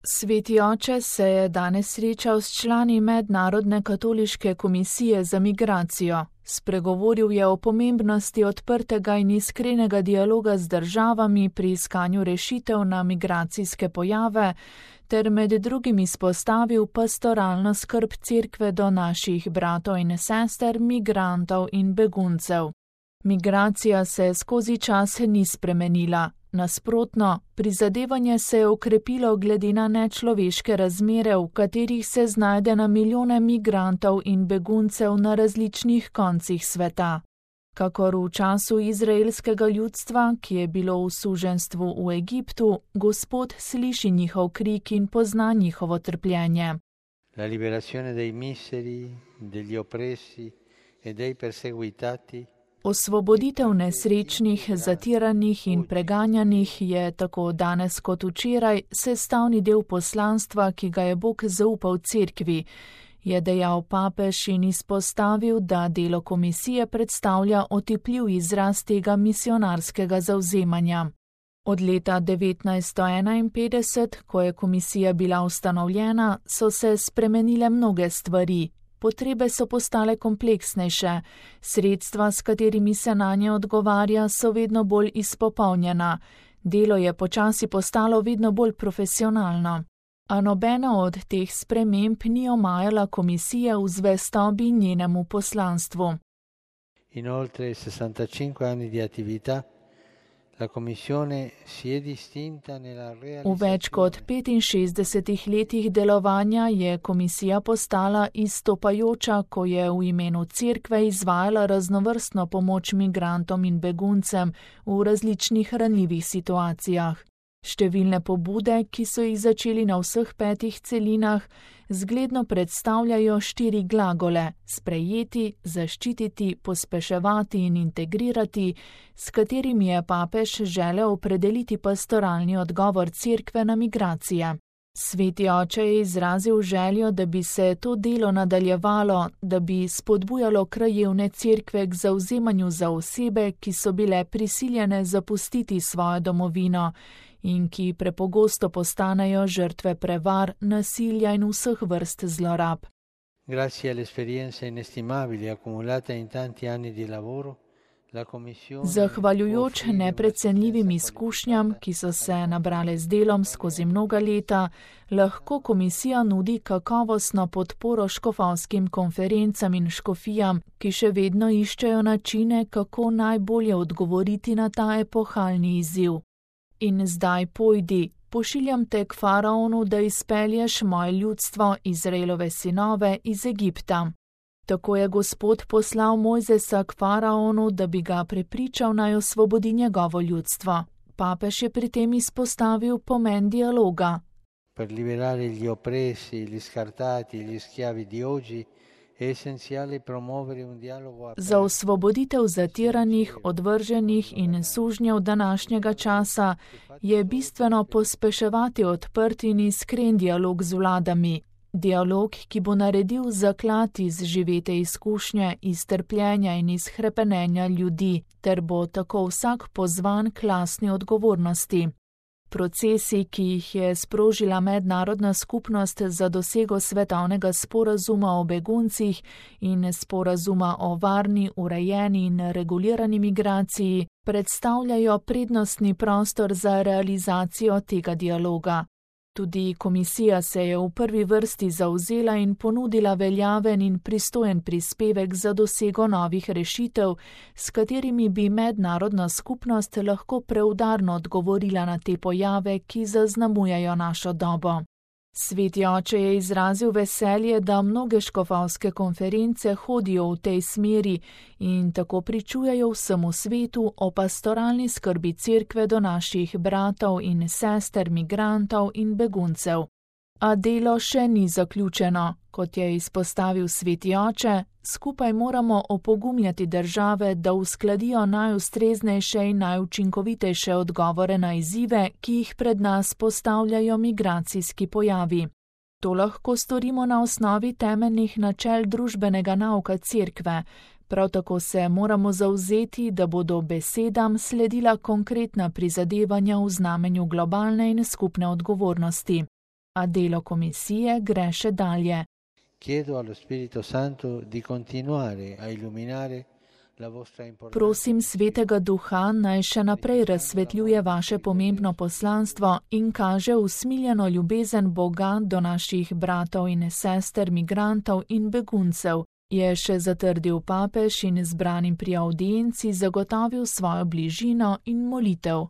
Sveti oče se je danes srečal s člani Mednarodne katoliške komisije za migracijo. Spregovoril je o pomembnosti odprtega in iskrenega dialoga z državami pri iskanju rešitev na migracijske pojave, ter med drugim izpostavil pastoralno skrb Cerkve do naših bratov in sester, migrantov in beguncev. Migracija se skozi čas ni spremenila. Nasprotno, prizadevanje se je okrepilo glede na nečloveške razmere, v katerih se znajde na milijone migrantov in beguncev na različnih koncih sveta. Kakor v času izraelskega ljudstva, ki je bilo v suženjstvu v Egiptu, Gospod sliši njihov krik in pozna njihovo trpljenje. La liberazione dei miseri, degli oppressi e dei perseguitati. Osvoboditev nesrečnih, zatiranih in preganjanih je tako danes kot včeraj sestavni del poslanstva, ki ga je Bog zaupal Cerkvi, je dejal papež in izpostavil, da delo komisije predstavlja otipljiv izraz tega misionarskega zavzemanja. Od leta 1951, ko je komisija bila ustanovljena, so se spremenile mnoge stvari. Potrebe so postale kompleksnejše, sredstva, s katerimi se nanje odgovarja, so vedno bolj izpopolnjena, delo je počasi postalo vedno bolj profesionalno. A nobena od teh sprememb ni omajala komisije v zvestobi njenemu poslanstvu. In oltre 65 anni di attività, la Commissione si è distinta nella realizzazione. V več kot 65 letih delovanja je komisija postala izstopajoča, ko je v imenu Cerkve izvajala raznovrstno pomoč migrantom in beguncem v različnih ranljivih situacijah. Številne pobude, ki so jih začeli na vseh 5 celinah, zgledno predstavljajo 4 glagole: sprejeti, zaščititi, pospeševati in integrirati, s katerimi je papež želel opredeliti pastoralni odgovor Cerkve na migracije. Sveti oče je izrazil željo, da bi se to delo nadaljevalo, da bi spodbujalo krajevne cerkve k zavzemanju za osebe, ki so bile prisiljene zapustiti svojo domovino in ki prepogosto postanejo žrtve prevar, nasilja in vseh vrst zlorab. Grazie all'esperienza inestimabile accumulata in tanti anni di lavoro, Zahvaljujoč neprecenljivim izkušnjam, ki so se nabrale z delom skozi mnoga leta, lahko komisija nudi kakovostno podporo škofovskim konferencam in škofijam, ki še vedno iščejo načine, kako najbolje odgovoriti na ta epohalni izziv. In zdaj pojdi, pošiljam te k faraonu, da izpelješ moje ljudstvo, Izraelove sinove, iz Egipta. Tako je Gospod poslal Mojzesa k faraonu, da bi ga prepričal, naj osvobodi njegovo ljudstvo. Papež je pri tem izpostavil pomen dialoga. Per liberare gli oppressi, gli scartati, gli schiavi di oggi, è essenziale promuovere un dialogo aperto. Za osvoboditev zatiranih, odvrženih in sužnjev današnjega časa je bistveno pospeševati odprt in iskren dialog z vladami. Dialog, ki bo naredil zaklad iz živete izkušnje, iz trpljenja in iz hrepenenja ljudi, ter bo tako vsak pozvan k lastni odgovornosti. Procesi, ki jih je sprožila mednarodna skupnost za dosego svetovnega sporazuma o beguncih in sporazuma o varni, urejeni in regulirani migraciji, predstavljajo prednostni prostor za realizacijo tega dialoga. Tudi komisija se je v prvi vrsti zavzela in ponudila veljaven in pristojen prispevek za dosego novih rešitev, s katerimi bi mednarodna skupnost lahko preudarno odgovorila na te pojave, ki zaznamujejo našo dobo. Sveti oče je izrazil veselje, da mnoge škofovske konference hodijo v tej smeri in tako pričujejo vsemu svetu o pastoralni skrbi Cerkve do naših bratov in sester, migrantov in beguncev. A delo še ni zaključeno. Kot je izpostavil Sveti oče, skupaj moramo opogumljati države, da uskladijo najustreznejše in najučinkovitejše odgovore na izzive, ki jih pred nas postavljajo migracijski pojavi. To lahko storimo na osnovi temeljnih načel družbenega nauka Cerkve. Prav tako se moramo zavzeti, da bodo besedam sledila konkretna prizadevanja v znamenju globalne in skupne odgovornosti. A delo komisije gre še dalje. Chiedo allo Spirito Santo di continuare a illuminare la vostra importanza. Prosim Svetega Duha, naj še naprej razsvetljuje vaše pomembno poslanstvo in kaže usmiljeno ljubezen Boga do naših bratov in sester, migrantov in beguncev, je še zatrdil papež in zbranim pri avdienci zagotovil svojo bližino in molitev.